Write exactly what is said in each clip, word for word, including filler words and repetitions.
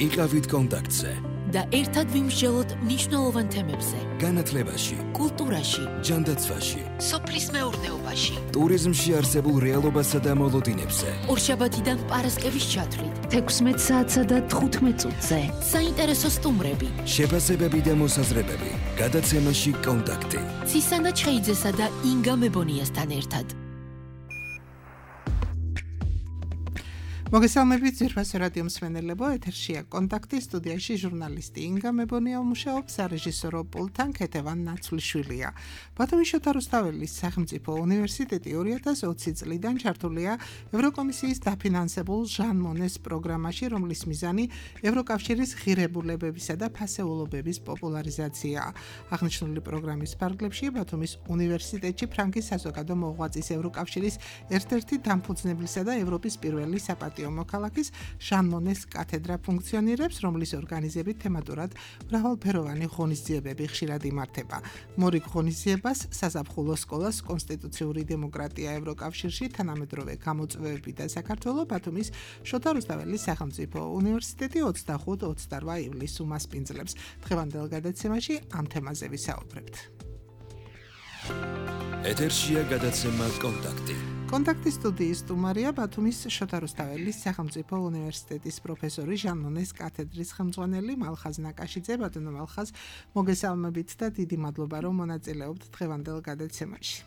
იყავით კონტაქტზე და ერთად ვიმსჯელოთ მნიშვნელოვან თემებზე. განათლებაში, კულტურაში, ჯანდაცვაში, სოფლის მეურნეობაში, ტურიზმში არსებულ რეალობასა და მოლოდინებზე. ორშაბათიდან პარასკევის ჩათვლით, თექვსმეტ საათსა და თხუთმეტ წუთზე. საინტერესო სტუმრები, შეფასებები და მოსაზრებები. გადაცემაში კონტაქტი. ცისანა ჩხეიძესა და ინგა მებონიასთან ერთად. მოგესალმებით ძვირფასო რადიო მსმენელებო, ეთერშია კონტაქტი, სტუდიაში ჟურნალისტი ინგა მებონია მუშაობს, სარეჟისორო პულტთან ქეთევან ნაცვლიშვილია. ბათუმის შოთა რუსთაველის სახელმწიფო უნივერსიტეტი ორი ათას ოცი წლიდან ჩართულია ევროკომისიის დაფინანსებულ ჟან მონეს პროგრამაში, რომლის მიზანი ევროკავშირის ღირებულებებისა და ფასეულობების პოპულარიზაციაა. აღნიშნული პროგრამის ფარგლებში ბათუმის უნივერსიტეტში ფრანკის საზოგადო მოღვაწის ევროკავშირის ერთ-ერთი დამფუძნებლისა და ევროპის პირველი საპატიო მოქალაქის ჟან მონეს კათედრა ფუნქციონირებს, რომლის ორგანიზებით თემატურად მრავალფეროვანი ღონისძიებები ხშირად იმართება. მორიგ ღონისძიებას საზაფხულო სკოლას კონსტიტუციური დემოკრატია ევროკავშირში, თანამედროვე გამოწვევები და საქართველოს ბათუმის შოთა რუსთაველის სახელმწიფო უნივერსიტეტი ოცდახუთ ოცდარვა ივლისს უმასპინძლებს. დღევანდელ გადაცემაში ამ თემაზე ვისაუბრებთ. ეთერშია გადაცემა კონტაქტი. კონტაქტის სტუდიის სტუმარია ბათუმის შოთა რუსთაველის სახელმწიფო უნივერსიტეტის პროფესორი ჟან მონეს კათედრის ხელმძღვანელი მალხაზ ნაკაშიძე. ბატონო მალხაზ, მოგესალმებით და დიდი მადლობა, რომ მონაწილეობთ დღევანდელ გადაცემაში.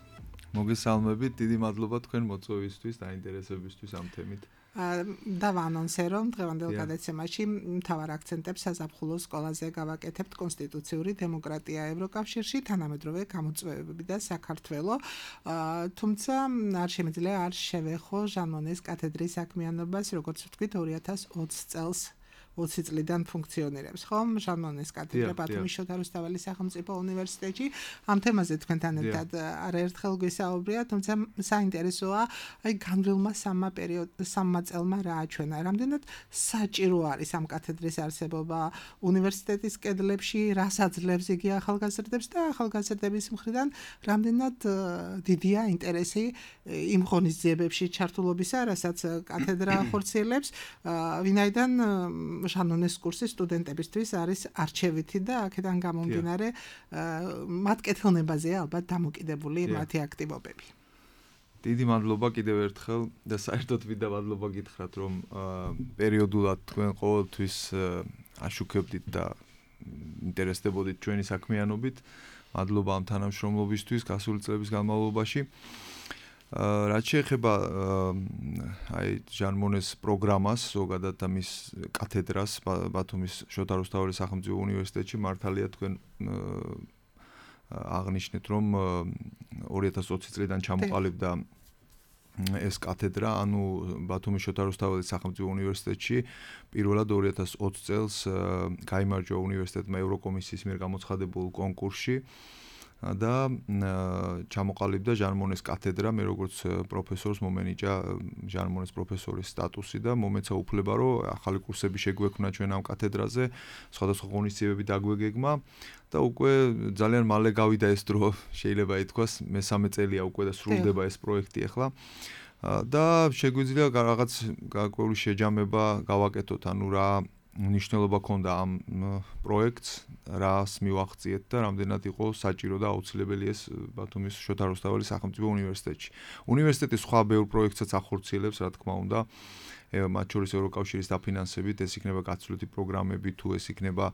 მოგესალმებით, დიდი მადლობა თქვენ მოწვევისთვის და ინტერესებისთვის ამ თემით. და ვანონსე, რომ დღევანდელ გადაცემაში მთავარ აქცენტებს საზაფხულო სკოლაზე გავაკეთებთ კონსტიტუციური დემოკრატია ევროკავშირში, თანამედროვე გამოწვევები და საქართველო. თუმცა არ შემიძლია არ შევეხო ჟან მონეს კათედრის საქმიანობას, როგორც ვთქვით, ორი ათას ოცი წელს ოცი წლიდან ფუნქციონირებს, ხომ? ჟან მონეს კათედრა ბათუმის შოთა რუსთაველის სახელმწიფო უნივერსიტეტში. ამ თემაზე თქვენთან ერთად არაერთხელ გვისაუბრია, თუმცა საინტერესოა, აი განვლილმა სამმა პერიოდ სამმა წელმა რა აჩვენა. რამდენად საჭირო არის ამ კათედრის არსებობა უნივერსიტეტის კედლებში, რას აძლევს იგი ახალგაზრდებს და ახალგაზრდების მხრიდან რამდენად დიდია ინტერესი იმ ღონისძიებებში ჩართულობისა, რასაც კათედრა ახორციელებს, ვინაიდან ჟან მონეს კურსი სტუდენტებისთვის არის არჩევითი და აქედან გამომდინარე მათ კეთილნებაზეა ალბათ დამოკიდებული მათი აქტივობები. დიდი მადლობა კიდევ ერთხელ და საერთოდ ვიდა მადლობა გითხრათ, რომ პერიოდულად თქვენ ყოველთვის აშუქებდით და ინტერესდებოდით ჩვენი საქმიანობით. მადლობა ამ თანამშრომლობისთვის გასული წლების განმავლობაში. რაც შეეხება აი ჟან მონეს პროგრამას, ზოგადად ამის კათედრას ბათუმის შოთა რუსთაველის სახელმწიფო უნივერსიტეტში, მართალია თქვენ აღნიშნეთ, რომ ორი ათას ოცი წლიდან ჩამოყალიბდა ეს კათედრა, ანუ ბათუმის შოთა რუსთაველის სახელმწიფო უნივერსიტეტში პირველად ორი ათას ოცი წელს გაიმარჯვა უნივერსიტეტმა ევროკომისიის მიერ გამოცხადებულ კონკურსში და ჩამოყალიბდა ჟან მონეს კათედრა. მე როგორც პროფესორს მომენიჭა ჟან მონეს პროფესორის სტატუსი და მომეცა უფლება, რომ ახალი კურსები შეგვექმნა ჩვენ ამ კათედრაზე, სხვადასხვა ღონისძიებები დაგვეგეგმა და უკვე ძალიან მალე გავიდა ეს დრო, შეიძლება ითქვას, მესამე წელია უკვე და სრულდება ეს პროექტი ახლა. და შეგვიძლია რაღაც გარკვეული შეჯამება გავაკეთოთ, ანუ რა მნიშვნელობა ჰქონდა ამ პროექტს, რას მივახციეთ და რამდენად იყო საჭირო და აუცილებელი ეს ბათუმის შოთა რუსთაველის სახელმწიფო უნივერსიტეტში. უნივერსიტეტი სხვა ბევრ პროექტსაც ახორციელებს, რა თქმა უნდა, მათ შორის ევროკავშირის დაფინანსებით, ეს იქნება გაცვლითი პროგრამები, თუ ეს იქნება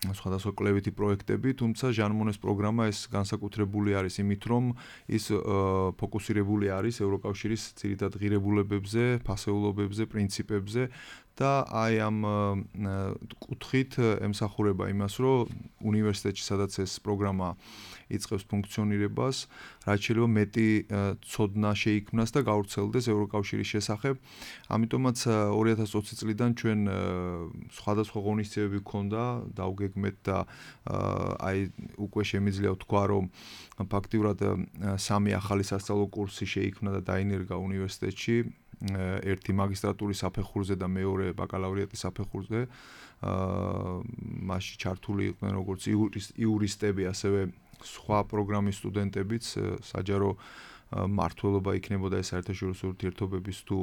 სხვადასხვა კვლევითი პროექტები, თუმცა ჟან მონეს პროგრამა ეს განსაკუთრებული არის იმით, რომ ის ფოკუსირებული არის ევროკავშირის ძირითად ღირებულებებზე, ფასეულობებზე, პრინციპებზე და აი ამ კუთხით ემსახურება იმას, რომ უნივერსიტეტში, სადაც ეს პროგრამა იწყებს ფუნქციონირებას, რაც შეიძლება მეტი ცოდნა შეიქმნას და გავრცელდეს ევროკავშირის შესახებ. ამიტომაც ორი ათას ოცი წლიდან ჩვენ სხვადასხვა ღონისძიებები გქონდა, დავგეგმეთ და აი უკვე შემიძლია ვთქვა, რომ ფაქტიურად სამი ახალი სასწავლო კურსი შეიქმნა და დაინერგა უნივერსიტეტში. ერთი მაგისტრატურის საფეხურზე და მეორე ბაკალავრიატის საფეხურზე. მასში ჩართული იყვნენ როგორც იურისტები, ასევე სხვა პროგრამის სტუდენტებიც, საჯარო მართლობა იქნებოდა ეს საერთაშორისო ურთიერთობების თუ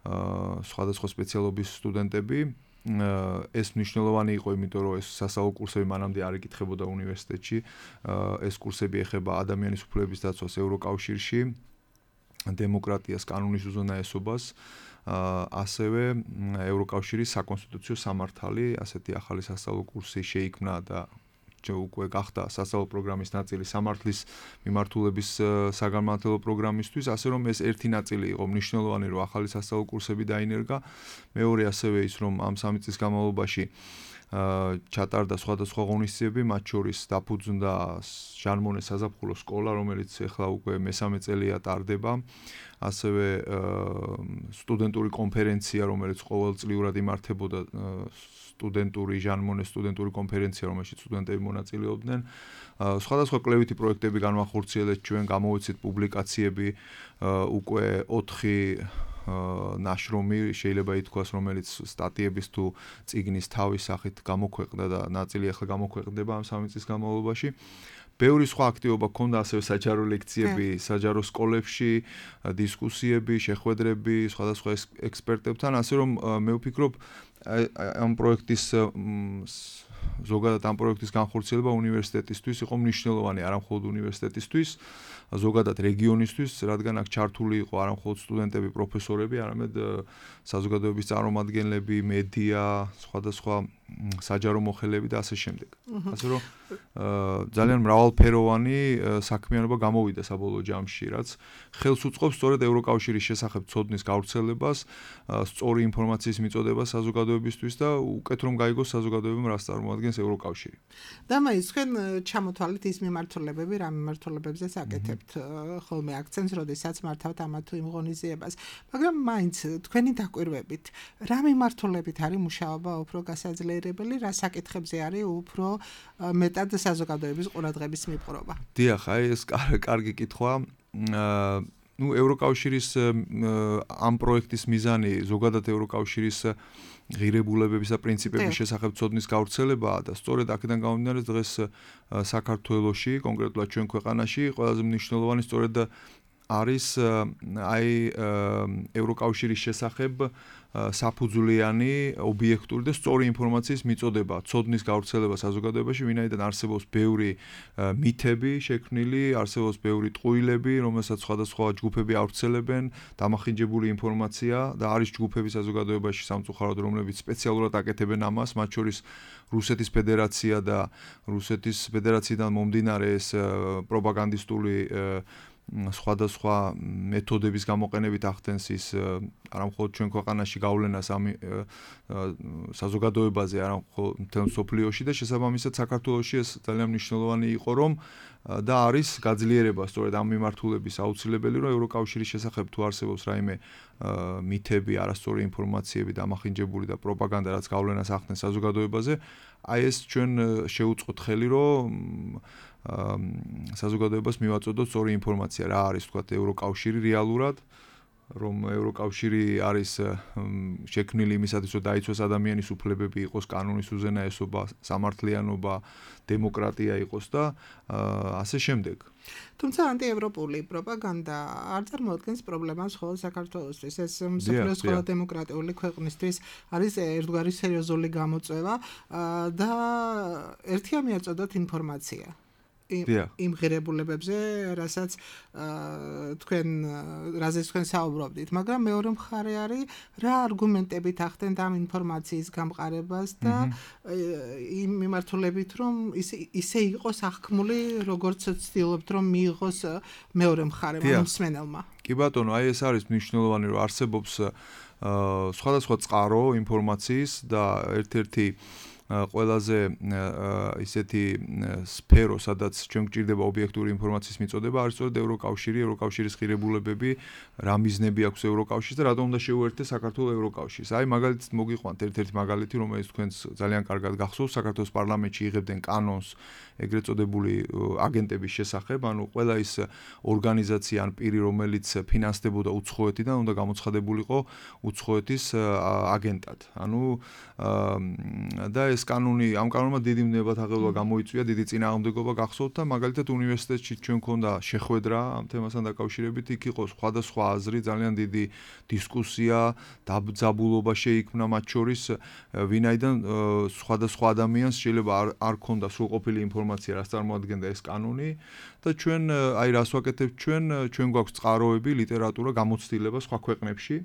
სხვადასხვა სპეციალობის სტუდენტები. ეს მნიშვნელოვანი იყო, იმიტომ რომ ეს სასწავლო კურსები მანამდე არ იკითხებოდა უნივერსიტეტში. ეს კურსები ეხება ადამიანის უფლებების დაცვას ევროკავშირში, დემოკრატიას, კანონის უზენაესობას, ასევე ევროკავშირის საკონსტიტუციო სამართალი, ასეთი ახალი სასწავლო კურსი შეიქმნა და უკვე გახდა სასწავლო პროგრამის ნაწილი სამართლის მიმართულების საგანმანათლებლო პროგრამისთვის, ასე რომ ეს ერთი ნაწილი იყო მნიშვნელოვანი, რომ ახალი სასწავლო კურსები დაინერგა. მეორე ასევე ის, რომ ამ სამი წლის განმავლობაში ჩატარდა სხვადასხვა ღონისძიებები, მათ შორის დაფუძნდა ჟან-მონეს საზაფხულო სკოლა, რომელიც ახლა უკვე მესამე წელია ტარდება. ასევე სტუდენტური კონფერენცია, რომელიც ყოველწლიურად იმართებოდა, სტუდენტური ჟან-მონეს სტუდენტური კონფერენცია, რომელშიც სტუდენტები მონაწილეობდნენ. სხვადასხვა კვლევითი პროექტები განვახორციელეთ ჩვენ, გამოვიცით პუბლიკაციები, უკვე ოთხი ნაშრომი შეიძლება ითქვას, რომელიც სტატიების თუ წიგნის თავის სახით გამოქვეყნდა და ნაწილი ახლა გამოქვეყნდება ამ სამი წლის განმავლობაში. ბევრი სხვა აქტივობა ჰქონდა, ასევე საჯარო ლექციები საჯარო სკოლებში, დისკუსიები, შეხვედრები სხვადასხვა ექსპერტებთან, ასე რომ მე ვფიქრობ ამ პროექტის ზოგადად ამ პროექტის განხორციელება უნივერსიტეტისთვის იყო მნიშვნელოვანი, არა მხოლოდ უნივერსიტეტისთვის, ზოგადად რეგიონისთვის, რადგან აქ ჩართული იყო არა მხოლოდ სტუდენტები, პროფესორები, არამედ საზოგადოების წარმომადგენლები, მედია, სხვადასხვა საჯარო მოხელეები და ასე შემდეგ. ასე რომ ძალიან მრავალფეროვანი საქმიანობა გამოვიდა საბოლოო ჯამში, რაც ხელს უწყობს სწორედ ევროკავშირის შესახებ ცოდნის გავრცელებას, სწორი ინფორმაციის მიწოდებას საზოგადოებისთვის და უკეთ რომ გაიგოს საზოგადოებამ რას წარმოადგენს ევროკავშირი. და მაინც თქვენ ჩამოთვალეთ ის მიმართულებები, რა მიმართულებებზეც აკეთებთ ხოლმე აქცენტს, როდესაც მართავთ ამა თუ იმ ღონისძიებას, მაგრამ მაინც თქვენი დაკვირვებით, რა მიმართულებით არის მუშაობა უფრო გასაძლიერებელი, რა საკითხებზე არის უფრო მეტად საზოგადოების ყურადღების მიპყრობა? დიახ, აი ეს კარგი კითხვა. ნუ ევროკავშირის ამ პროექტის მიზანი ზოგადად ევროკავშირის ღირებულებების და პრინციპების შესახებ ცოდნის გავრცელებაა და სწორედ აქედან გამომდინარე დღეს საქართველოში, კონკრეტულად ჩვენ ქვეყანაში, ყველაზე მნიშვნელოვანი სწორედ არის აი ევროკავშირის შესახებ საფუძვლიანი, ობიექტური და სწორი ინფორმაციის მიწოდება, ცოდნის გავრცელება საზოგადოებაში, ვინაიდან არსებობს ბევრი მითები შექმნილი, არსებობს ბევრი ტყუილები, რომელსაც სხვადასხვა ჯგუფები ავრცელებენ, დამახინჯებული ინფორმაცია და არის ჯგუფები საზოგადოებაში სამწუხაროდ, რომლებიც სპეციალურად აკეთებენ ამას, მათ შორის რუსეთის ფედერაცია და რუსეთის ფედერაციიდან მომდინარე ეს პროპაგანდისტული სხვადასხვა მეთოდების გამოყენებით ახდენს ის არა მხოლოდ ჩვენ ქვეყანაში გავლენას ამ საზოგადოებაზე, არა მხოლოდ მთელ მსოფლიოში და შესაბამისად საქართველოში ეს ძალიან მნიშვნელოვანი იყო, რომ და არის გაძლიერება სწორედ ამ მიმართულების აუცილებელი, რომ ევროკავშირის შესახებ თუ არსებობს რაიმე მითები, არასწორი ინფორმაციები, დამახინჯებული და პროპაგანდა, რაც გავლენას ახდენს საზოგადოებაზე, აი ეს ჩვენ შევუწყოთ ხელი, რომ საზოგადოებას მივაწოდოთ სწორი ინფორმაცია, რა არის თქვათ ევროკავშირი რეალურად, რომ ევროკავშირი არის შექმნილი იმისათვის, რომ დაიცვას ადამიანის უფლებები, იყოს კანონის უზენაესობა, სამართლიანობა, დემოკრატია იყოს და ასე შემდეგ. თუმცა ანტიევროპული პროპაგანდა არ წარმოადგენს პრობლემას მხოლოდ საქართველოსთვის. ეს მსოფლიოს ყველა დემოკრატიული ქვეყნისთვის არის ერთგვარი სერიოზული გამოწვევა და ერთია მიაწოდოთ ინფორმაცია. იმ ღირებულებებზე, რასაც თქვენ რაზეც თქვენ საუბრობდით, მაგრამ მეორე მხარე არის რა არგუმენტებით ახდენთ ამ ინფორმაციის გამყარებას და იმ მიმართულებით, რომ ისე იყოს აღქმული, როგორც ცდილობთ, რომ მიიღოს მეორე მხარემ მსმენელმა. კი ბატონო, აი ეს არის მნიშვნელოვანი, რომ არსებობს სხვადასხვა წყარო ინფორმაციის და ერთ-ერთი ყველაზე ისეთი სფერო, სადაც ჩვენ გვჭირდება ობიექტური ინფორმაციის მიწოდება, არის სწორედ ევროკავშირი, ევროკავშირის ღირებულებები, რა მიზნები აქვს ევროკავშირს და რატომ უნდა შეუერთდეს საქართველოს ევროკავშირს. აი მაგალითად მოგიყვანთ ერთ-ერთი მაგალითი, რომელიც თქვენს ძალიან კარგად გახსოვს, საქართველოს პარლამენტში იღებდნენ კანონს ეგრეთ წოდებული აგენტების შესახებ, ანუ ყველა ის ორგანიზაცია ან პირი, რომელიც ფინანსდებოდა უცხოეთიდან, უნდა გამოცხადებულიყო უცხოეთის აგენტად. ანუ და ეს ეს კანონი, ამ კანონმა დიდი ნებათაღელვა გამოიწვია, დიდი წინააღმდეგობა გახსოვთ და მაგალითად უნივერსიტეტში ჩვენ გქონდა შეხვედრა ამ თემასთან დაკავშირებით, იქ იყო სხვადასხვა აზრი, ძალიან დიდი დისკუსია, დაბძაბულობა შეიქმნა მათ შორის, ვინაიდან სხვადასხვა ადამიანს შეიძლება არ არ ქონდა სრულყოფილი ინფორმაცია, რას წარმოადგენდა ეს კანონი და ჩვენ აი რას ვაკეთებთ ჩვენ, ჩვენ გვაქვს წყაროები, ლიტერატურა, გამოცდილება სხვა ქვეყნებში.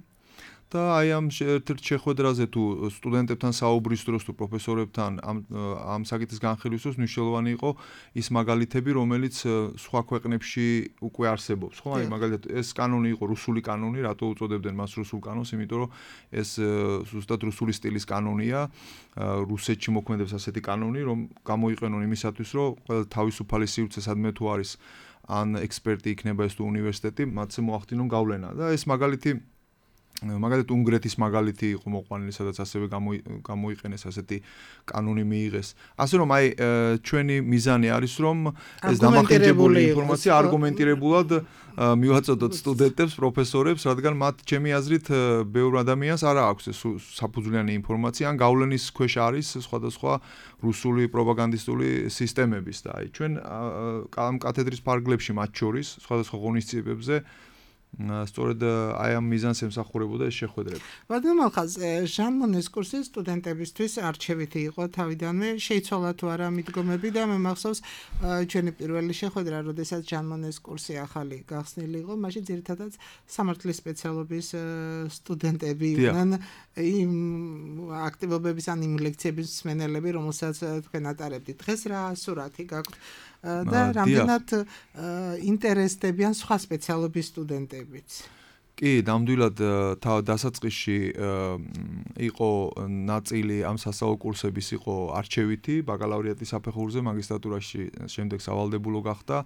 და აი ამ ერთ-ერთ შეხვედრაზე თუ სტუდენტებთან საუბრის დროს თუ პროფესორებთან ამ ამ საკითხის განხილვის დროს მნიშვნელოვანი იყო ის მაგალითები, რომელიც სხვა ქვეყნებში უკვე არსებობს, ხო? აი მაგალითად ეს კანონი იყო რუსული კანონი, რატო უწოდებდნენ მას რუსულ კანონს? იმიტომ რომ ეს ზუსტად რუსული სტილის კანონია, რუსეთში მოქმედებს ასეთი კანონი, რომ გამოიყენონ იმისათვის, რომ ყველა თავისუფალი სივრცე სადმე თუ არის ან ექსპერტი იქნება ეს თუ უნივერსიტეტი, მათზე მოახდინონ გავლენა და ეს მაგალითი მაგალითად უნგრეთის მაგალითი იყო მოყვანილი, სადაც ასევე გამოიყენეს ასეთი კანონი მიიღეს. ასე რომ აი ჩვენი მიზანი არის რომ ეს დამახინჯებული ინფორმაცია არგუმენტირებულად მივაწოდოთ სტუდენტებს, პროფესორებს, რადგან მათ ჩემი აზრით ბევრ ადამიანს არ აქვს ეს საფუძვლიანი ინფორმაცია, ან გავლენის ქვეშ არის სხვადასხვა რუსული პროპაგანდისტული სისტემების და აი ჩვენ ამ კათედრის ფარგლებში მათ შორის სხვადასხვა ღონისძიებებზე სწორედ აი ამ მიზანს ემსახურებოდა ეს შეხვედრები. ბატონო მალხაზ, ჟან მონეს კურსი სტუდენტებისთვის არჩევითი იყო თავიდანვე, შეიცვალა თუ არა მიდგომები და მე მახსოვს ჩვენი პირველი შეხვედრა, როდესაც ჟან მონეს კურსი ახალი გახსნილი იყო, მაშინ ძირითადად სამართლის სპეციალობის სტუდენტები იყვნენ, იმ აქტივობების ან იმ ლექციების მსმენელები, რომელსაც თქვენ ატარებდით. დღეს რა სურათი გაქვთ? და რამდენად ინტერესდებიან სხვა სპეციალობის სტუდენტებიც. კი, ნამდვილად დასაწყისში იყო ნაწილი ამ სასწავლო კურსების იყო არჩევითი, ბაკალავრიატის საფეხურზე, მაგისტრატურაში შემდეგ სავალდებულო გახდა.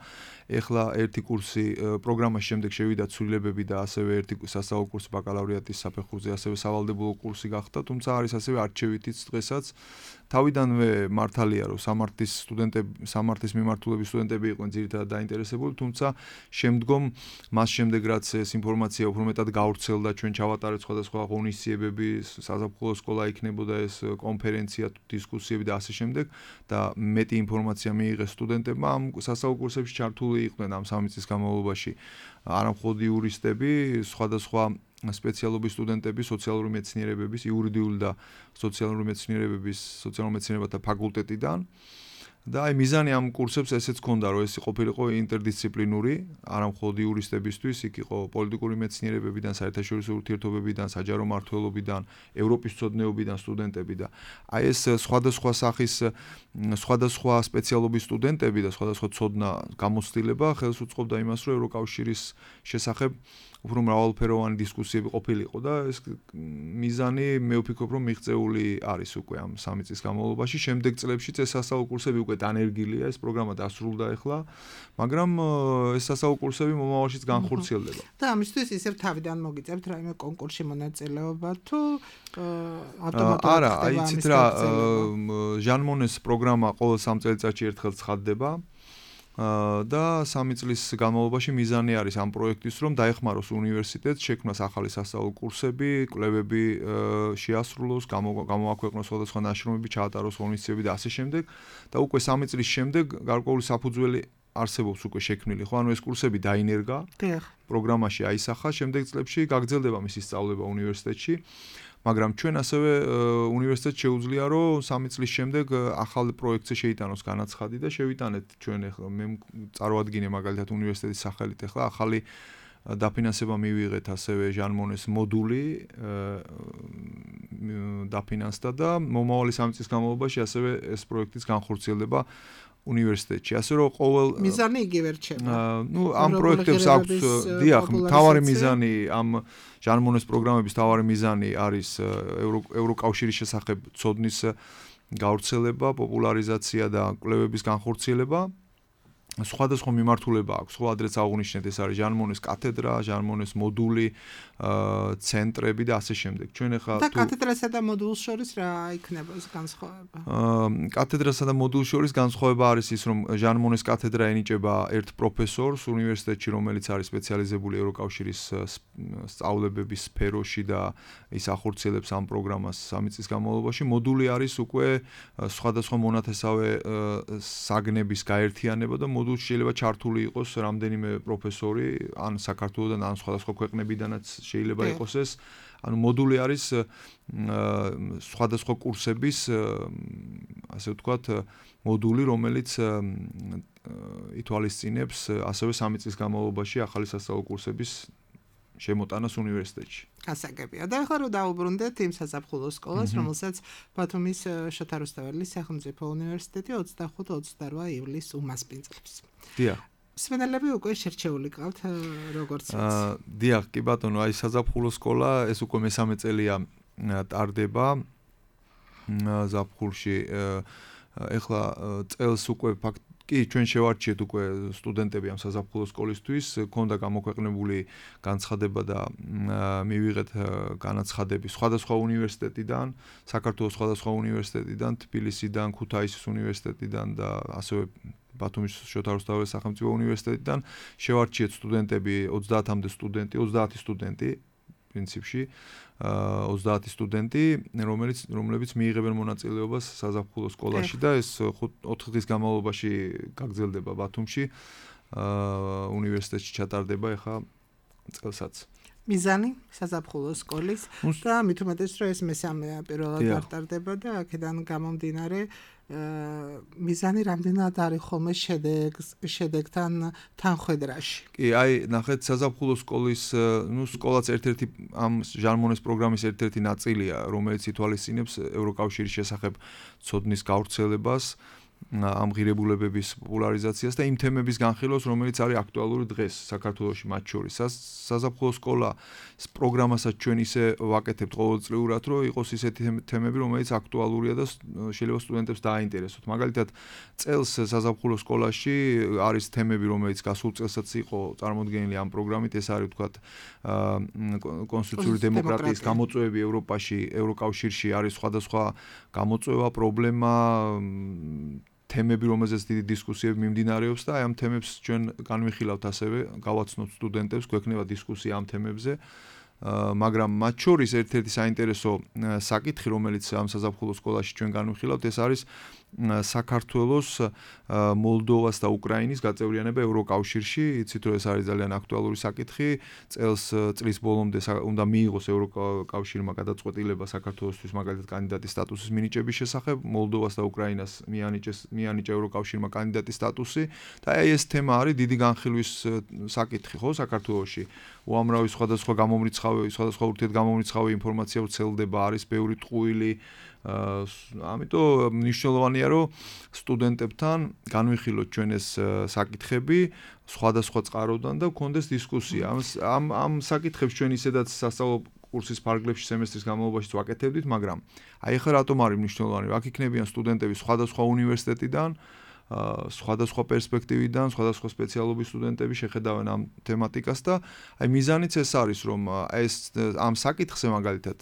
ეხლა ერთი კურსი პროგრამაში შემდეგ შევიდა ცვლილებები და ასევე ერთი სასწავლო კურსი ბაკალავრიატის საფეხურზე, ასევე სავალდებულო კურსი გახდა, თუმცა არის ასევე არჩევითიც დღესაც. თავიდანვე მართალია, რომ სამართლის სტუდენტები, სამართლის მიმართულების სტუდენტები იყვნენ ძირითადად დაინტერესებული, თუმცა შემდგომ მას შემდეგ რაც ეს ინფორმაცია უფრო მეტად გავრცელდა, ჩვენ ჩავატარეთ სხვადასხვა ღონისძიებები, საზაფხულო სკოლა იქნებოდა ეს კონფერენცია, დისკუსიები და ასე შემდეგ და მეტი ინფორმაცია მიიღეს სტუდენტებმა ამ სასწავლო კურსებში ჩართული იყვნენ ამ სამი წლის განმავლობაში არა მხოლოდ იურისტები, სხვადასხვა სპეციალობის სტუდენტები სოციალური მეცნიერებების, იურიდიული და სოციალური მეცნიერებების, სოციალურ მეცნიერებათა ფაკულტეტიდან. და აი მიზანი ამ კურსებს ესეც ჰქონდა, რომ ეს ყოფილიყო ინტერდისციპლინური, არა მხოლოდ იურისტებისთვის, იქ იყო პოლიტიკური მეცნიერებებიდან, საერთაშორისო ურთიერთობებიდან, საჯარო მმართველობიდან, ევროპის მცოდნეობიდან სტუდენტები და აი ეს სხვადასხვა სახის, სხვადასხვა სპეციალობის სტუდენტები და სხვადასხვა ცოდნა გამოცდილება ხელს უწყობდა იმას, რომ ევროკავშირის შესახებ უფრო მრავალფეროვანი დისკუსიები ყოფილიყო და ეს მიზანი მე ვფიქრობ რომ მიღწეული არის უკვე ამ სამი წლის განმავლობაში. შემდეგ წლებშიც ეს სასწავლო კურსები უკვე დანერგილია, ეს პროგრამა დასრულდა ახლა, მაგრამ ეს სასწავლო კურსები მომავალშიც განხორციელდება. და ამისთვის ისევ თავიდან მოგიწევთ რაიმე კონკურსში მონაწილეობა თუ ავტომატურად არა, აი იცით რა, ჟან მონეს პროგრამა ყოველ სამ წელიწადში ერთხელ ცხადდება. და სამი წლის განმავლობაში მიზანი არის ამ პროექტის რომ დაეხმაროს უნივერსიტეტს შექმნას ახალი სასწავლო კურსები, კვლევები შეასრულოს, გამოაქვეყნოს სხვადასხვა ნაშრომები, ჩაატაროს ღონისძიებები და ასე შემდეგ და უკვე სამი წლის შემდეგ გარკვეული საფუძველი არსებობს უკვე შექმნილი, ხო? ანუ ეს კურსები დაინერგა, პროგრამაში აისახა, შემდეგ წლებში გაგრძელდება მისი სწავლება უნივერსიტეტში. მაგრამ ჩვენ ასევე უნივერსიტეტს შეუძლია რომ სამი წლის შემდეგ ახალ პროექტზე შეიტანოს განაცხადი და შევიტანეთ ჩვენ ახლა მე წარვადგინე მაგალითად უნივერსიტეტის სახელით ახლა ახალი დაფინანსება მივიღეთ ასევე ჟან მონეს მოდული დაფინანსდა და მომავალი სამი წლის განმავლობაში ასევე ეს პროექტიც განხორციელდება უნივერსიტეტში. ასე რომ ყოველ მიზანი იგივე რჩება. ნუ ამ პროექტებს აქვს დიახ, მთავარი მიზანი ამ ჟან მონეს პროგრამების მთავარი მიზანი არის ევროკავშირის შესახებ ცოდნის გავრცელება, პოპულარიზაცია და კვლევების განხორციელება. სხვადასხვა მიმართულება აქვს. ხო, ადრეც აღვნიშნეთ, ეს არის ჟან მონეს კათედრა, ჟან მონეს მოდული, ცენტრები და ასე შემდეგ. ჩვენ ახლა და კათედრასა და მოდულს შორის რა იქნება ეს განსხვავება? კათედრასა და მოდულს შორის განსხვავება არის ის, რომ ჟან მონეს კათედრა ენიჭება ერთ პროფესორს უნივერსიტეტში, რომელიც არის სპეციალიზებული ევროკავშირის სწავლებების სფეროში და ის ახორციელებს ამ პროგრამას სამი წლის განმავლობაში. მოდული არის უკვე სხვადასხვა მონათესავე საგნების გაერთიანება და მოდულში შეიძლება ჩართული იყოს რამდენიმე პროფესორი, ან საქართველოსდან, ან სხვადასხვა ქვეყნებიდანაც შეიძლება იყოს ეს. ანუ მოდული არის სხვადასხვა კურსების, ასე ვთქვათ, მოდული, რომელიც ითვალისწინებს ასევე სამი წლის განმავლობაში ახალი სასწავლო კურსების შემოტანას უნივერსიტეტში. გასაგებია. და ახლა რომ დაუბრუნდეთ იმ საზაფხულო სკოლას, რომელსაც ბათუმის შოთა რუსთაველის სახელმწიფო უნივერსიტეტი ოცდახუთ ოცდარვა ივლისს უმასპინძლებს. დიახ. მსმენელები უკვე შერჩეული ყავთ როგორც ვიცი. აა დიახ, კი ბატონო, აი საზაფხულო სკოლა ეს უკვე მესამე წელია ტარდება ზაფხულში. ეხლა წელს უკვე ფაქტ კი ჩვენ შევარჩიეთ უკვე სტუდენტები ამ საზაფხულო სკოლისთვის, ქონდა გამოქვეყნებული განცხადება და მივიღეთ განაცხადები სხვადასხვა უნივერსიტეტიდან, საქართველოს სხვადასხვა უნივერსიტეტიდან, თბილისიდან, ქუთაისის უნივერსიტეტიდან და ასევე ბათუმის შოთა რუსთაველის სახელმწიფო უნივერსიტეტიდან შევარჩიეთ სტუდენტები ოცდაათამდე სტუდენტი, ოცდაათი სტუდენტი პრინციპში, ოცდაათი სტუდენტი, რომელიც რომლებიც მიიღებენ მონაწილეობას საზაფხულო სკოლაში და ეს ოთხ დღის განმავლობაში გაგრძელდება ბათუმში, უნივერსიტეტში ჩატარდება ახლა წელსაც. მიზანი საზაფხულო სკოლის და მით უმეტეს რომ ეს მესამეა პირველად გატარდება და აქედან გამომდინარე მიზანი რამდენად არის ხოლმე შედეგს შედეგთან თანხვედრაში. კი, აი, ნახეთ, საზაფხულო სკოლის, ნუ სკოლაც ერთ-ერთი ამ ჟან მონეს პროგრამის ერთ-ერთი ნაწილია, რომელიც ითვალისწინებს ევროკავშირის შესახებ ცოდნის გავრცელებას, ამ ღირებულებების პოპულარიზაციას და იმ თემების განხილვას, რომელიც არის აქტუალური დღეს საქართველოში მათ შორის. საზაფხულო სკოლის პროგრამასაც ჩვენ ისე ვაკეთებთ ყოველწლიურად, რომ იყოს ისეთი თემები, რომელიც აქტუალურია და შეიძლება სტუდენტებს დააინტერესოთ. მაგალითად, წელს საზაფხულო სკოლაში არის თემები, რომელიც გასულ წელსაც იყო წარმოდგენილი ამ პროგრამით, ეს არის ვთქვათ კონსტიტუციური დემოკრატიის გამოწვევები ევროპაში, ევროკავშირში არის სხვადასხვა გამოწვევა, პრობლემა, თემები, რომელზეც დიდი დისკუსიები მიმდინარეობს და აი ამ თემებს ჩვენ განვიხილავთ ასევე, გავაცნოთ სტუდენტებს, გვექნება დისკუსია ამ თემებზე. მაგრამ მათ შორის ერთ-ერთი საინტერესო საკითხი, რომელიც ამ საზაფხულო სკოლაში ჩვენ განვიხილავთ, ეს არის საქართველოს, მოლდოვას და უკრაინის გაწევრიანება ევროკავშირში. იცით, რომ ეს არის ძალიან აქტუალური საკითხი. წელს წლის ბოლომდე უნდა მიიღოს ევროკავშირმა გადაწყვეტილება საქართველოსთვის მაგალითად კანდიდატის სტატუსის მინიჭების შესახებ. მოლდოვას და უკრაინას მიანიჭეს მიანიჭა ევროკავშირმა კანდიდატის სტატუსი და აი ეს თემა არის დიდი განხილვის საკითხი, ხო, საქართველოში. უამრავი სხვადასხვა გამომრიცხავი, სხვადასხვა ურთიერთგამომრიცხავი ინფორმაცია ვრცელდება, არის ბევრი ტყუილი. ამიტომ მნიშვნელოვანია, რომ სტუდენტებთან განვიხილოთ ჩვენ ეს საკითხები სხვადასხვა წყაროდან და გქონდეს დისკუსია. ამ ამ საკითხებს ჩვენ ისედაც სასწავლო კურსის ფარგლებში სემესტრის განმავლობაში ვაკეთებდით, მაგრამ აი ახლა რატომ არის მნიშვნელოვანი, რომ აქ იქნებიან სტუდენტები სხვადასხვა უნივერსიტეტიდან, სხვადასხვა პერსპექტივიდან, სხვადასხვა სპეციალობის სტუდენტები შეხედავენ ამ თემატიკას და აი მიზანიც ეს არის, რომ ეს ამ საკითხზე მაგალითად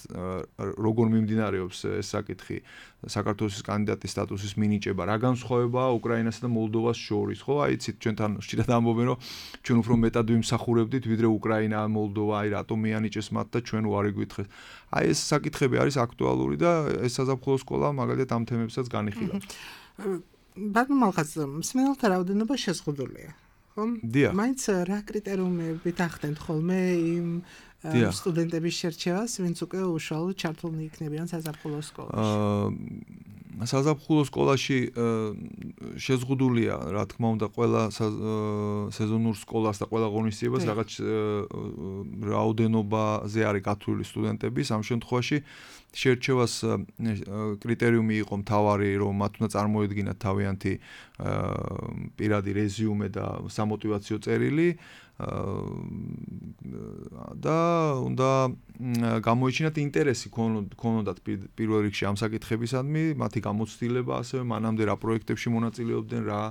როგორ მიმდინარეობს ეს საკითხი საქართველოს კანდიდატის სტატუსის მინიჭება, რა განსხვავებაა უკრაინასა და მოლდოვას შორის, ხო? აი იცით, ჩვენთან ხშირად ამბობენ, რომ ჩვენ უფრო მეტად ვიმსახურებდით, ვიდრე უკრაინა, მოლდოვა, აი რატომ მიანიჭეს მათ და ჩვენ უარი გვითხრეთ. აი ეს საკითხები არის აქტუალური და ეს საზაფხულო სკოლა მაგალითად ამ თემებსაც განიხილავს. ბატონო მალხაზ, მსმენელთა რაოდენობა შეზღუდულია, ხო? მაინც რა კრიტერიუმებით ახდენთ ხოლმე იმ სტუდენტების შერჩევას, ვინც უკვე უშუალოდ ჩართულნი იქნებიან საზაფხულო სკოლაში? საზაფხულო სკოლაში შეზღუდულია, რა თქმა უნდა, ყველა სეზონურ სკოლას და ყველა ღონისძიებას რაღაც რაოდენობაზე არის გათვლილი სტუდენტების. ამ შემთხვევაში შერჩევას კრიტერიუმი იყო მთავარი, რომ მათ უნდა წარმოედგინათ თავიანთი პირადი რეზიუმე და სამოტივაციო წერილი და უნდა გამოიჩინათ ინტერესი ქონოდათ პირველ რიგში ამ საკითხებისადმი, მათი გამოცდილება, ასევე მანამდე რა პროექტებში მონაწილეობდნენ, რა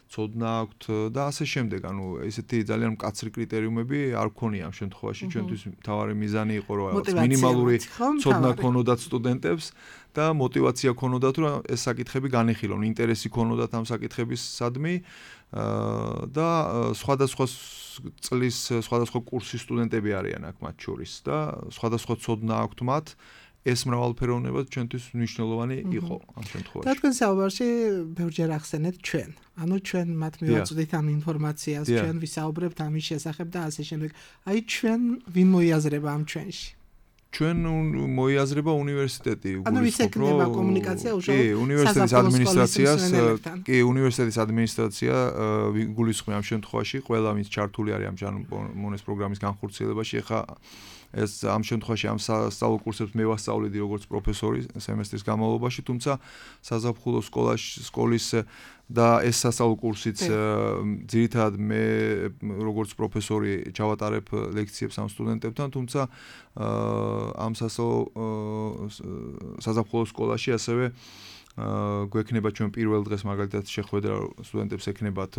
ცოდნა აქვთ და ასე შემდეგ. ანუ ესეთი ძალიან მკაცრი კრიტერიუმები არ გქონია ამ შემთხვევაში. ჩვენთვის მთავარი მიზანი იყო რომ მინიმალური ცოდნა ქონოდათ სტუდენტებს და мотиваცია ქონოდათ რომ ეს საკითხები განეხილონ, ინტერესი ქონოდათ ამ საკითხებისადმი და სხვადასხვა წლის სხვადასხვა კურსის სტუდენტები არიან აქ მათ შორის და სხვადასხვა ცოდნა აქვთ მათ. ეს მრავალფეროვნება ჩვენთვის მნიშვნელოვანი იყო ამ შემთხვევაში. და თქვენ საუბარში ბევრჯერ ახსენეთ ჩვენ. ანუ ჩვენ მათ მივაწვდით ამ ინფორმაციას, ჩვენ ვისაუბრებთ ამის შესახებ და ასე შემდეგ. აი ჩვენ ვინ მოიაზრება ამ ჩვენში? ჩვენ მოიაზრება უნივერსიტეტი, ანუ ვის ექნება კომუნიკაცია უშუალოდ კი, უნივერსიტეტის ადმინისტრაციას, კი, უნივერსიტეტის ადმინისტრაცია გულისხმობს ამ შემთხვევაში, ყველა ვინც ჩართული არის ამ ჟანმონეს პროგრამის განხორციელებაში, ეხა ეს ამ შემთხვევაში ამ სასწავლო კურსებს მე ვასწავლიდი როგორც პროფესორი სემესტრის განმავლობაში, თუმცა საზაფხულო სკოლაში სკოლის და ეს სასწავლო კურსიც ძირითადად მე როგორც პროფესორი ჩავატარებ ლექციებს ამ სტუდენტებთან, თუმცა ამ სასწავლო საზაფხულო სკოლაში ასევე გვექნება ჩვენ პირველ დღეს მაგალითად შეხვედრა სტუდენტებს ექნებათ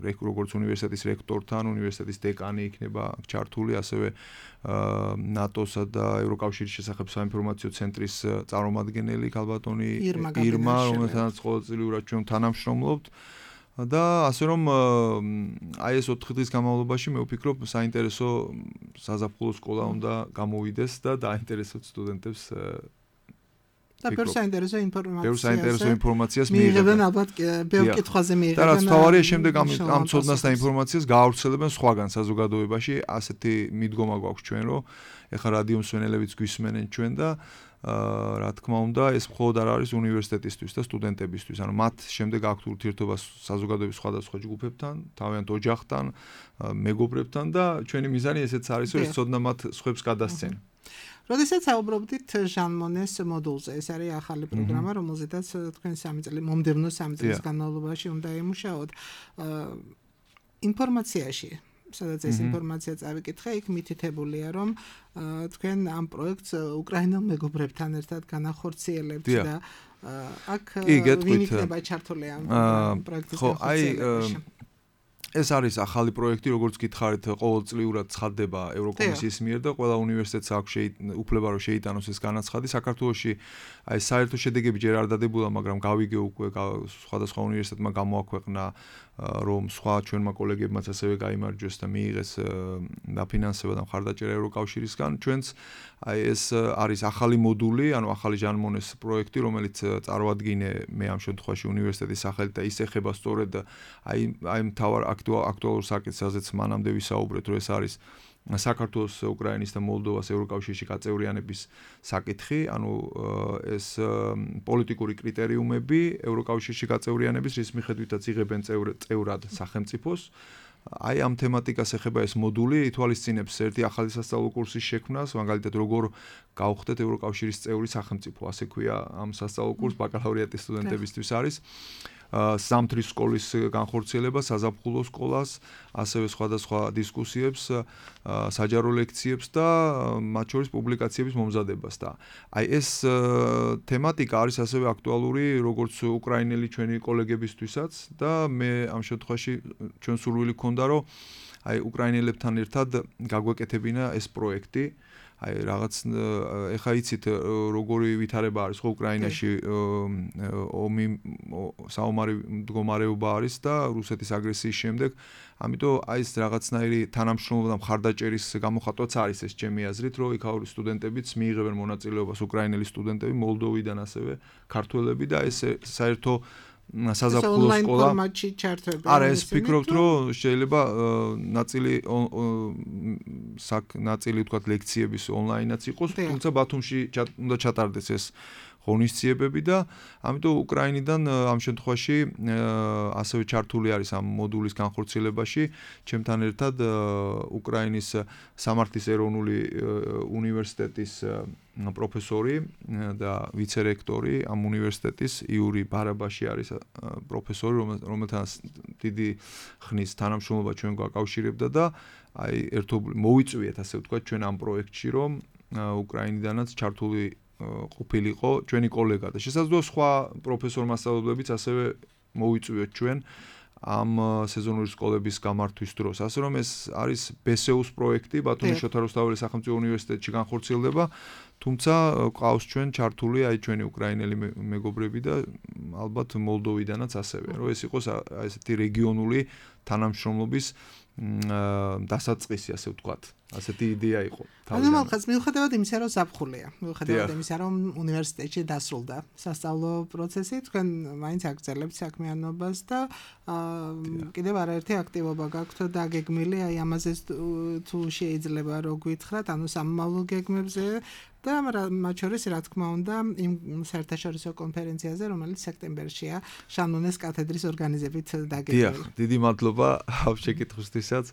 როგორც უნივერსიტეტის რექტორთან, უნივერსიტეტის დეკანი იქნება ჩართული, ასევე ნატოსა და ევროკავშირის შესახებ საინფორმაციო ცენტრის წარმომადგენელი ქალბატონი ირმა, რომელთანაც ყოველწლიურად ჩვენ თანამშრომლობთ და ასე რომ აი ეს ოთხი დღის განმავლობაში მე ვფიქრობ საინტერესო საზაფხულო სკოლა უნდა გამოვიდეს და დაინტერესოთ სტუდენტებს და ბევრ საინტერესო ინფორმაციას. ბევრ საინტერესო ინფორმაციას მიიღებენ ალბათ ბევრ კითხვაზე მიიღებენ. და რაც თავარია შემდეგ ამ ამ ცოდნას და ინფორმაციას გაავრცელებენ სხვაგან საზოგადოებაში, ასეთი მიდგომა გვაქვს ჩვენ, რომ ეხლა რადიო მსმენელებიც გვისმენენ ჩვენ და რა თქმა უნდა, ეს მხოლოდ არ არის უნივერსიტეტისთვის და სტუდენტებისთვის, ანუ მათ შემდეგ აქვთ ურთიერთობა საზოგადოების სხვადასხვა ჯგუფებთან, თავიანთ ოჯახთან, მეგობრებთან და ჩვენი მიზანი ესეც არის, რომ ეს ცოდნა მათ სხვებს გადასცენ. როდესაც საუბრობდით ჟანმონეს მოდულზე, ეს არის ახალი პროგრამა, რომელზედაც თქვენ სამი წელი მომდევნო სამი წლის განმავლობაში უნდა იმუშაოთ. ინფორმაციაში, სადაც ეს ინფორმაცია წავიკითხე, იქ მითითებულია, რომ თქვენ ამ პროექტს უკრაინელ მეგობრებთან ერთად განახორციელებთ და აქ ვინ იქნება ჩართული ამ პროექტის განხორციელებაში? ეს არის ახალი პროექტი, როგორც გითხარით, ყოველწლიურად ცხადდება ევროკომისიის მიერ და ყველა უნივერსიტეტს აქვს უფლება რომ შეიტანოს ეს განაცხადი. საქართველოში აი საერთო შედეგები ჯერ არ დადებულა, მაგრამ გავიგე უკვე სხვადასხვა უნივერსიტეტმა გამოაქვეყნა რომ სხვა ჩვენმა კოლეგებმაც ასევე გაიმარჯვეს და მიიღეს დაფინანსება და მხარდაჭერა ევროკავშირისგან. ჩვენც აი ეს არის ახალი მოდული, ანუ ახალი ჟანმონეს პროექტი, რომელიც წარმოადგინე მე ამ შემთხვევაში უნივერსიტეტის სახელით და ის ეხება სწორედ აი აი მთავარ აქტუალურ საკითხს, სადაც მანამდე ვისაუბრეთ, რომ ეს არის საქართველოს, უკრაინის და მოლდოვას ევროკავშირში გაწევრიანების საკითხი, ანუ ეს პოლიტიკური კრიტერიუმები ევროკავშირში გაწევრიანების, რის მიხედვითაც იღებენ წევრად სახელმწიფოს. აი ამ თემატიკას ეხება ეს მოდული, ითვალისწინებს ერთი ახალი სასწავლო კურსის შექმნას, მაგალითად როგორ გავხდეთ ევროკავშირის წევრი სახელმწიფო, ასე ქვია ამ სასწავლო კურს ბაკალავრიატის სტუდენტებისთვის არის. სამთრის სკოლის განხორციელება, საზაფხულო სკოლას, ასევე სხვადასხვა დისკუსიებს, საჯარო ლექციებს და მათ შორის პუბლიკაციების მომზადებას და აი ეს თემატიკა არის ასევე აქტუალური როგორც უკრაინელი ჩვენი კოლეგებისთვისაც და მე ამ შემთხვევაში ჩვენ სურვილი გქონდა რომ აი უკრაინელებთან ერთად გაგვეკეთებინა ეს პროექტი. აი რაღაც ეხა იცით როგორი ვითარება არის ხო უკრაინაში ომი საომარი მდგომარეობა არის და რუსეთის აგრესიის შემდეგ, ამიტომ აი ეს რაღაცნაირი თანამშრომლობა და მხარდაჭერის გამოხატვაც არის ეს ჩემი აზრით, რომ იქაური სტუდენტებიც მიიღებენ მონაწილეობას, უკრაინელი სტუდენტები, მოლდოვიდან ასევე ქართველები და ეს საერთო საზაფხულო სკოლა ფორმატში ჩართვები. არა, ეს ფიქრობთ, რომ შეიძლება ნაწილი საკ ნაწილი თქვა ლექციების ონლაინაც იყოს, თუმცა ბათუმში უნდა ჩატარდეს ეს ღონისძიებები და ამიტომ უკრაინიდან ამ შემთხვევაში ასევე ჩართული არის ამ მოდულის განხორციელებაში ჩემთან ერთად უკრაინის სამართლის ეროვნული უნივერსიტეტის პროფესორი და ვიცე-რექტორი ამ უნივერსიტეტის იური ბარაბაში არის პროფესორი, რომელთან დიდი ხნის თანამშრომლობა ჩვენ გვაკავშირებდა და აი ერთობლივ მოვიწვიეთ ასე ვთქვათ ჩვენ ამ პროექტში, რომ უკრაინიდანაც ჩართული ყოფილიყო ჩვენი კოლეგა და შესაძლოა სხვა პროფესორ მასწავლებლებიც ასევე მოვიწვიოთ ჩვენ ამ სეზონური სკოლების გამართვის დროს. ასე რომ ეს არის ბე ეს იუს პროექტი, ბათუმის შოთა რუსთაველის სახელმწიფო უნივერსიტეტში განხორციელდება, თუმცა ყავს ჩვენ ჩართული აი ჩვენი უკრაინელი მეგობრები და ალბათ მოლდოვიდანაც ასევე, რომ ეს იყოს ესეთი რეგიონული თანამშრომლობის დასაწყისი, ასე ვთქვათ. ასეთი იდეა იყო. ანუ მაგას მიუხედავად იმისა, რომ ზაფხულია, მიუხედავად იმისა, რომ უნივერსიტეტში დასრულდა სასწავლო პროცესი, თქვენ მაინც აგრძელებთ საქმიანობას და კიდევ არაერთი აქტივობა გაქვთ დაგეგმილი, აი ამაზე თუ შეიძლება რო გითხრათ, ანუ სამომავლო გეგმებზე და მათ შორის რა თქმა უნდა იმ საერთაშორისო კონფერენციაზე, რომელიც სექტემბერშია შანონეს კათედრის ორგანიზებით დაგეგმილი. დიახ, დიდი მადლობა ამ შეკითხვისთვისაც.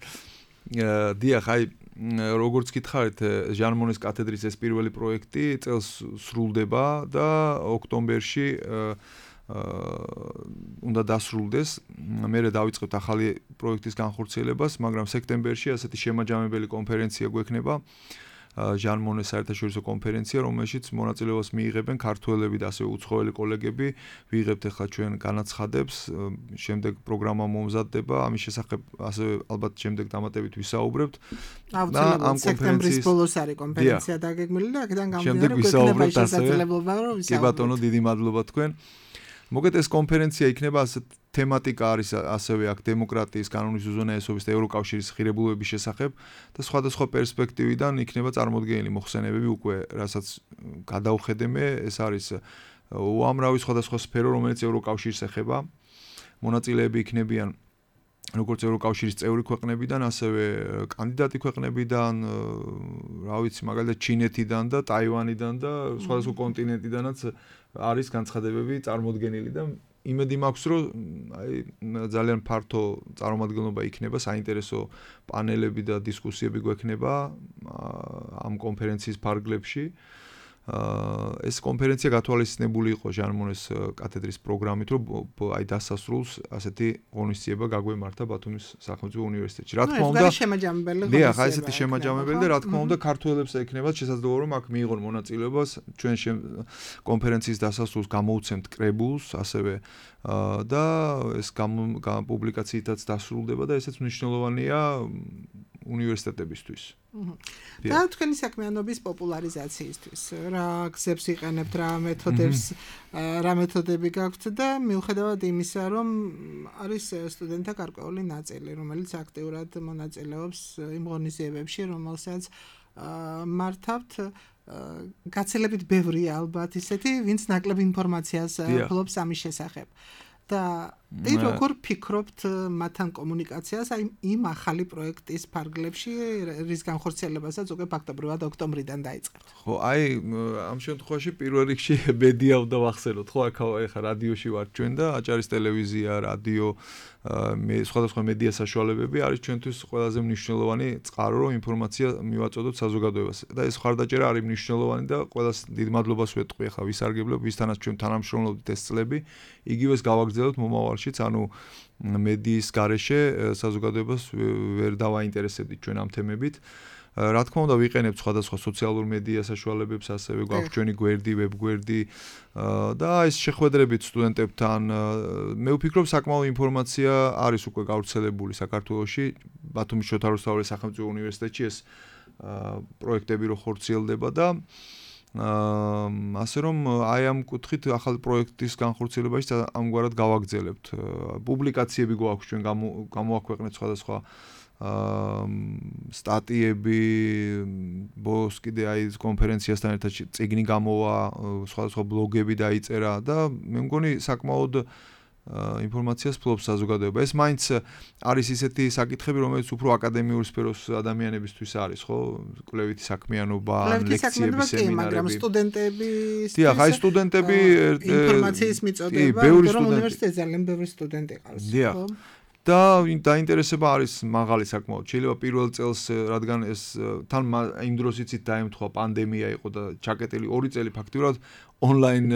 დიახ, აი როგორც გითხარით, ჟან მონეს კათედრის ეს პირველი პროექტი წელს სრულდება და ოქტომბერში უნდა დასრულდეს. მერე დავიწყებთ ახალი პროექტის განხორციელებას, მაგრამ სექტემბერში ასეთი შემაჯამებელი კონფერენცია გვექნება. ჟან მონეს საერთაშორისო კონფერენცია, რომელშიც მონაწილეობას მიიღებენ ქართველები და ასევე უცხოელი კოლეგები. ვიღებთ ახლა ჩვენ განაცხადებს, შემდეგ პროგრამა მომზადდება, ამის შესახებ ასევე ალბათ შემდეგ დამატებით ვისაუბრებთ. და ამ სექტემბრის ბოლოს არის კონფერენცია დაგეგმილი და აქედან გამომდინარე გვექნება შესაძლებლობა რომ ვისაუბროთ. კი ბატონო, დიდი მადლობა თქვენ. მოგეთ ეს კონფერენცია იქნება ასეთ თემატიკა არის ასევე აქ დემოკრატიის, კანონის უზენაესობის და ევროკავშირის ღირებულებების შესახებ და სხვადასხვა პერსპექტივიდან იქნება წარმოდგენილი მოხსენებები უკვე, რასაც გადავხედე, ეს არის უამრავი სხვადასხვა სფერო, რომელიც ევროკავშირს ეხება. მონაწილეები იქნებიან როგორც ევროკავშირის წევრი ქვეყნებიდან, ასევე კანდიდატი ქვეყნებიდან, რა ვიცი, მაგალითად ჩინეთიდან და ტაივანიდან და სხვადასხვა კონტინენტიდანაც არის განცხადებები წარმოდგენილი და იმედი მაქვს, რომ აი ძალიან ფართო წარმომადგენლობა იქნება, საინტერესო პანელები და დისკუსიები გვექნება ამ კონფერენციის ფარგლებში. ეს კონფერენცია გათვალისწინებული იყო ჟან მონეს კათედრის პროგრამით, რომ აი დასასრულს ასეთი ღონისძიება გაგვემართა ბათუმის სახელმწიფო უნივერსიტეტში. რა თქმა უნდა, შემაჯამებელი ღონისძიება. დიახ, აი ესეთი შემაჯამებელი და რა თქმა უნდა, ქართველებს ექნებათ შესაძლებლობა, რომ აქ მიიღონ მონაწილეობას ჩვენ კონფერენციის დასასრულს გამოუცემთ კრებულს, ასევე და ეს პუბლიკაციითაც დასრულდება და ესეც მნიშვნელოვანია უნივერსიტეტებისთვის. და თქვენი საქმიანობის პოპულარიზაციისთვის რა გზებს იყენებთ, რა მეთოდებს, რა მეთოდები გაქვთ და მიუხედავად იმისა, რომ არის სტუდენტთა გარკვეული ნაწილი, რომელიც აქტიურად მონაწილეობს იმ ღონისძიებებში, რომელსაც მართავთ, გაცილებით ბევრია ალბათ ისეთი, ვინც ნაკლებ ინფორმაციას ფლობს ამის შესახებ. და ის როგორ ფიქრობთ მათთან კომუნიკაციას აი იმ ახალი პროექტის ფარგლებში, რის განხორციელებასაც უკვე ფაქტობრივად ოქტომბრიდან დაიწყებთ. ხო, აი ამ შემთხვევაში პირველ რიგში მედია უნდა ვახსენოთ, ხო, აქ ახლა რადიოში ვარ ჩვენ და აჭარის ტელევიზია, რადიო, მე სხვადასხვა მედია საშუალებები არის ჩვენთვის ყველაზე მნიშვნელოვანი წყარო, რომ ინფორმაცია მივაწოდოთ საზოგადოებას. და ეს ხარდაჭერა არის მნიშვნელოვანი და ყველას დიდ მადლობას ვეტყვი ახლა ვისარგებლებ, ვისთანაც ჩვენ თანამშრომლობთ ეს წლები, იგივეს გავაგრძელებთ მომავალშიც, ანუ მედიის გარეშე საზოგადოებას ვერ დავაინტერესებდით ჩვენ ამ თემებით. რა თქმა უნდა, ვიყენებთ სხვადასხვა სოციალურ მედია საშუალებებს, ასევე გვაქვს ჩვენი გვერდი, ვებგვერდი და ეს შეხვედრებით სტუდენტებთან. მე ვფიქრობ, საკმაო ინფორმაცია არის უკვე გავრცელებული საქართველოში, ბათუმის შოთა რუსთაველის სახელმწიფო უნივერსიტეტში ეს პროექტები რო ხორციელდება და ასე რომ აი ამ კუთხით ახალი პროექტის განხორციელებაში ამგვარად გავაგრძელებთ. პუბლიკაციები გვაქვს ჩვენ გამოაქვეყნეთ სხვადასხვა სტატიები, ბოლოს კიდე აი კონფერენციასთან ერთად წიგნი გამოვა, სხვადასხვა ბლოგები დაიწერა და მე მგონი საკმაოდ ინფორმაციას ფლობს საზოგადოება. ეს მაინც არის ისეთი საკითხები, რომელიც უფრო აკადემიურ სფეროს ადამიანებისთვის არის, ხო? კვლევითი საქმიანობა, ლექციები, სემინარები. მაგრამ სტუდენტები დიახ, აი სტუდენტები ინფორმაციის მიწოდება, რომ უნივერსიტეტზე ძალიან ბევრი სტუდენტი ყავს, ხო? და დაინტერესება არის მაღალი საკმაოდ. შეიძლება პირველ წელს, რადგან ეს თან იმ დროს იცით დაემთხვა პანდემია იყო და ჩაკეტილი ორი წელი ფაქტიურად ონლაინ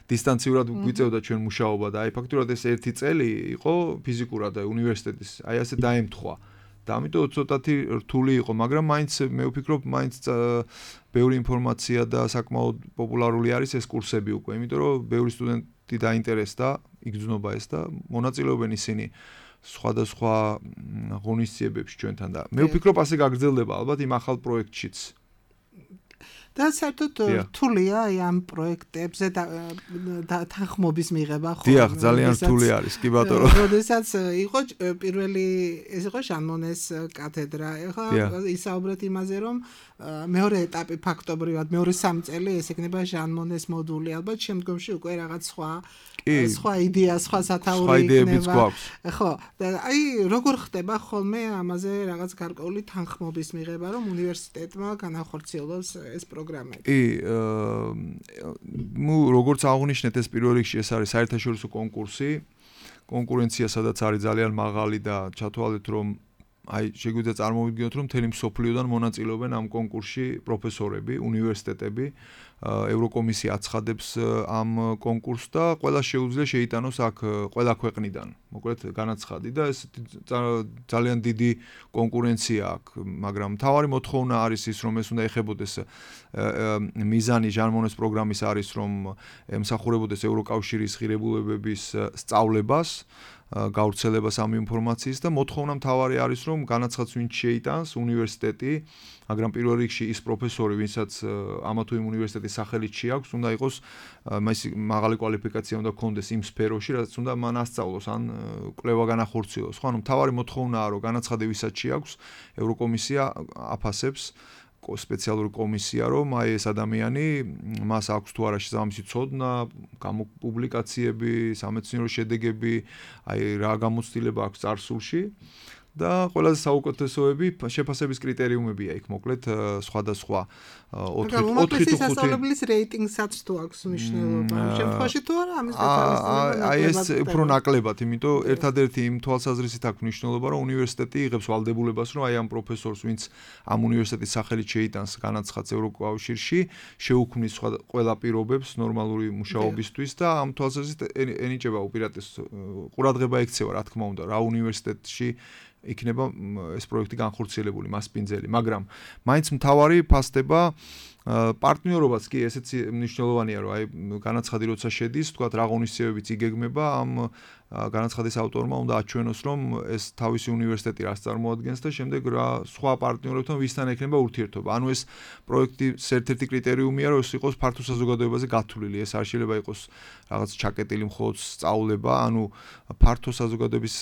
დისტანციურად გვიწევდა ჩვენ მუშაობა და აი ფაქტიურად ეს ერთი წელი იყო ფიზიკურად უნივერსიტეტის, აი ასე დაემთხვა. და ამიტომ ცოტათი რთული იყო, მაგრამ მაინც მე ვფიქრობ, მაინც ბევრი ინფორმაცია და საკმაოდ პოპულარული არის ეს კურსები უკვე, იმიტომ რომ ბევრი სტუდენტი დაინტერესდა, იგრძნობა ეს და მონაწილეობენ ისინი სხვადასხვა ღონისძიებებში ჩვენთან და მე ვფიქრობ, ასე გაგრძელდება ალბათ იმ ახალ პროექტშიც. და საერთოდ რთულია ამ პროექტებზე და თანხმობის მიღება ხო? დიახ, ძალიან რთული არის, კი ბატონო. როდესაც იყო პირველი ეს იყო ჟან-მონეს კათედრა. ეხლა ისაუბრეთ იმაზე, რომ მეორე ეტაპი ფაქტობრივად მეორე სამი წელი ეს იქნება ჟან-მონეს მოდული, ალბათ შემდგომში უკვე რაღაც სხვა სხვა იდეა, სხვა სათაური იქნება. ხო, და აი როგორ ხდება ხოლმე ამაზე რაღაც გარკვეული თანხმობის მიღება, რომ უნივერსიტეტმა განახორციელოს ეს პროგრამები. კი, ნუ როგორც აღნიშნეთ, ეს პირველ რიგში ეს არის საერთაშორისო კონკურსი. კონკურენცია სადაც არის ძალიან მაღალი და ჩათვალეთ, რომ აი შეგვიძლია წარმოვიდგინოთ, რომ მთელი მსოფლიოდან მონაწილეობენ ამ კონკურსში პროფესორები, უნივერსიტეტები. ევროკომისია აცხადებს ამ კონკურსს და ყველა შეუძლია შეიტანოს აქ ყველა ქვეყნიდან. მოკლედ განაცხადი და ეს ძალიან დიდი კონკურენცია აქვს, მაგრამ მთავარი მოთხოვნა არის ის, რომ ეს უნდა ეხებოდეს მიზანი ჟან-მონეს პროგრამის არის, რომ ემსახურებოდეს ევროკავშირის ღირებულებების სწავლებას, გავრცელებას ამ ინფორმაციის და მოთხოვნა მთავარი არის, რომ განაცხადს ვინც შეიტანს უნივერსიტეტი, მაგრამ პირველ რიგში ის პროფესორი, ვინცაც ამა თუ იმ უნივერსიტეტის სახელით შეაქვს, უნდა იყოს მაღალი კვალიფიკაცია უნდა ჰქონდეს იმ სფეროში, რაც უნდა მან ასწავლოს ან კვლევა განახორციელოს. ხო, ანუ მთავარი მოთხოვნაა, რომ განაცხადი ვისაც შეაქვს, ევროკომისია აფასებს სპეციალური კომისია, რომ აი ეს ადამიანი მას აქვს თუ არა შესაბამისი ცოდნა, გამოპუბლიკაციები, სამეცნიერო შედეგები, აი რა გამოცდილება აქვს წარსულში და ყველაზე საუკეთესოები შეფასების კრიტერიუმებია იქ მოკლედ სხვადასხვა ოთხი ოთხი თუ ხუთი სასწავლებლის რეიტინგსაც თუ აქვს მნიშვნელობა ამ შემთხვევაში თუ არა ამის დათვალიერება აი ეს უფრო ნაკლებად, იმიტომ ერთადერთი იმ თვალსაზრისით აქვს მნიშვნელობა, რომ უნივერსიტეტი იღებს ვალდებულებას, რომ აი ამ პროფესორს, ვინც ამ უნივერსიტეტის სახელით შეიტანს განაცხადს ევროკავშირში, შეუქმნის ყველა პირობებს ნორმალური მუშაობისთვის და ამ თვალსაზრისით ენიჭება უპირატეს ყურადღება ექცევა, რა თქმა უნდა, რა უნივერსიტეტში იქნება ეს პროექტი განხორციელებული, მას პინძელი, მაგრამ მაინც მთავარი ფასდება პარტნიორობაც კი ესეც მნიშვნელოვანია, რომ აი განაცხადი როცა შედის, თქვა რა ღონისძიებებიც იგეგმება, ამ განაცხადის ავტორმა უნდა აჩვენოს, რომ ეს თავისი უნივერსიტეტი რას წარმოადგენს და შემდეგ რა სხვა პარტნიორებთან ვისთან ექნება ურთიერთობა. ანუ ეს პროექტის ერთ-ერთი კრიტერიუმია, რომ ეს იყოს ფართო საზოგადოებაზე გათვლილი. ეს არ შეიძლება იყოს რაღაც ჩაკეტილი მხოლოდ სწავლება, ანუ ფართო საზოგადოების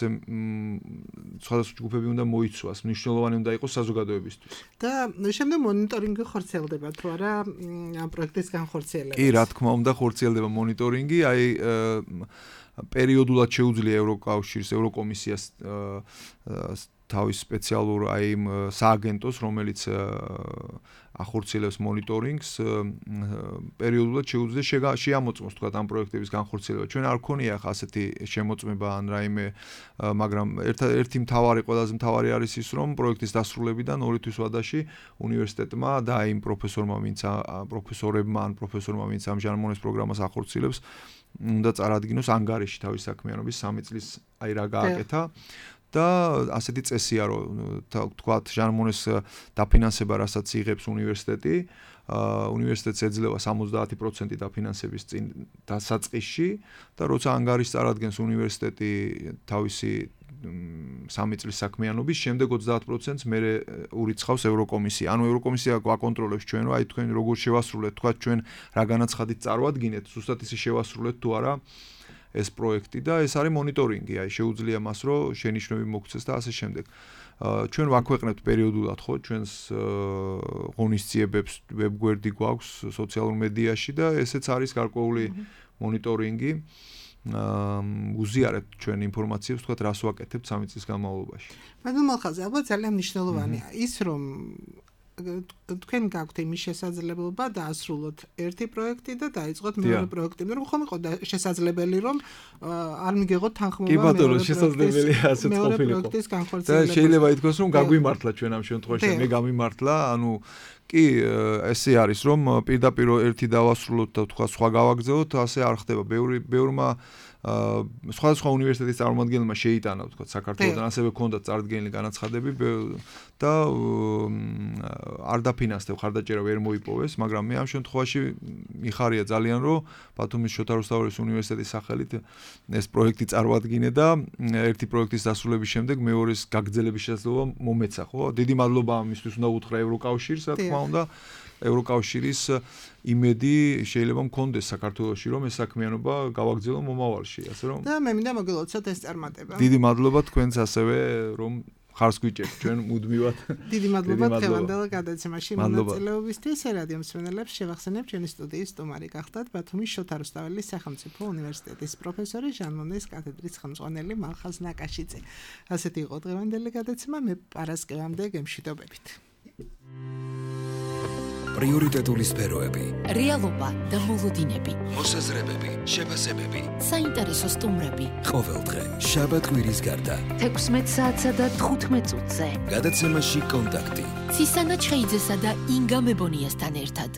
სხვადასხვა ჯგუფები უნდა მოიცვას, მნიშვნელოვანი უნდა იყოს საზოგადოებისთვის. და შემდეგ მონიტორინგი ხორციელდება თუ არა ამ პროექტის განხორციელებას. კი, რა თქმა უნდა, ხორციელდება მონიტორინგი, აი პერიოდულად შეუძლია ევროკავშირის ევროკომისიას თავის სპეციალურ აი იმ სააგენტოს, რომელიც ახორციელებს მონიტორინგს, პერიოდულად შეუძლია შეამოწმოს თქვა ამ პროექტების განხორციელება. ჩვენ არ გქონია ხა ასეთი შემოწმება ან რაიმე, მაგრამ ერთი მთავარი, ყველაზე მთავარი არის ის, რომ პროექტის დასრულებიდან ორი თვის ვადაში უნივერსიტეტმა და აი იმ პროფესორმა, ვინც პროფესორებმა ან პროფესორმა, ვინც ამ ჟან-მონეს პროგრამას ახორციელებს, უნდა წარადგინოს ანგარიში თავის საქმიანობის სამი წლის აი რა გააკეთა და ასეთი წესია, რომ თქვათ ჟან-მონეს დაფინანსება, რასაც იღებს უნივერსიტეტი, უნივერსიტეტს ეძლევა სამოცდაათი პროცენტი დაფინანსების წინ დასაწყისში და როცა ანგარიშს წარადგენს უნივერსიტეტი თავისი სამი წლის საქმიანობის, შემდეგ ოცდაათ პროცენტს მერე ურიცხავს ევროკომისია. ანუ ევროკომისია გვაკონტროლებს ჩვენ, რომ აი თქვენ როგორ შევასრულეთ, თქვათ ჩვენ რა განაცხადით წარვადგინეთ, ზუსტად ისე შევასრულეთ თუ არა ეს პროექტი და ეს არის მონიტორინგი, აი შეუძლია მას, რომ შენიშვნები მოგცეს და ასე შემდეგ. ჩვენ ვაქვეყნებთ პერიოდულად ხო ჩვენს ღონისძიებებს, ვებგვერდი გვაქვს სოციალურ მედიაში და ესეც არის გარკვეული მონიტორინგი. უზიარებთ ჩვენ ინფორმაციებს, თქვათ რას ვაკეთებთ სამი წლის განმავლობაში. მაგრამ ახალ ალბათ ძალიან მნიშვნელოვანია ის, რომ თქვენ გაქვთ იმის შესაძლებლობა დაასრულოთ ერთი პროექტი და დაიწყოთ მეორე პროექტი. მაგრამ ხომ იყო შესაძლებელი, რომ არ მიგეღოთ თანხმობა მეორე პროექტის განხორციელებას. და შეიძლება ითქვას, რომ გაგვიმართლა ჩვენ ამ შემთხვევაში, მე გამიმართლა, ანუ კი, ესე არის, რომ პირდაპირ ერთი დავასრულოთ და თქვა სხვა გავაგზავნოთ, ასე არ ხდება. ბევრი ბევრმა სხვადასხვა უნივერსიტეტის წარმომადგენელმა შეიტანა, თქვა, საქართველოსთან, ასევე ჰქონდათ წარდგენილი განაცხადები და არ დაფინანსდებ, ხარდაჭერა ვერ მოიპოვეს, მაგრამ მე ამ შემთხვევაში მიხარია ძალიან, რომ ბათუმის შოთა რუსთაველის უნივერსიტეტის სახელით ეს პროექტი წარმოადგინე და ერთი პროექტის დასრულების შემდეგ მეორეს გაგრძელების შესაძლებლობა მომეცა, ხო? დიდი მადლობა ამისთვის უნდა უთხრა ევროკავშირს, რა თქმა უნდა. ევროკავშირის იმედი შეიძლება მქონდეს საქართველოში, რომ ეს საქმიანობა გავაგრძელო მომავალში, ასე რომ. და მე მინდა მოგილოცოთ ეს წარმატება. დიდი მადლობა თქვენს ასევე, რომ ხარს გვიჭერთ ჩვენ მუდმივად. დიდი მადლობა დღევანდელ გადაცემაში მონაწილეობისთვის. რადიო მსმენელებს შევახსენებ, ჩვენი სტუდიის სტუმარი გახდათ ბათუმის შოთა რუსთაველის სახელმწიფო უნივერსიტეტის პროფესორი, ჟანმონდეის კათედრის ხელმძღვანელი მალხაზ ნაკაშიძე. ასეთი იყო დღევანდელი გადაცემა, მე პარასკევამდე გემშვიდობებით. პრიორიტეტული სფეროები, რეალობა და მოლოდინები, მოსაზრებები, შეფასებები, საინტერესო სტუმრები. ყოველდღე შაბათ-კვირის გარდა თექვსმეტ საათსა და თხუთმეტ წუთზე. გადაცემაში კონტაქტი. ცისანა ჩხეიძესა და ინგა მებონიასთან ერთად.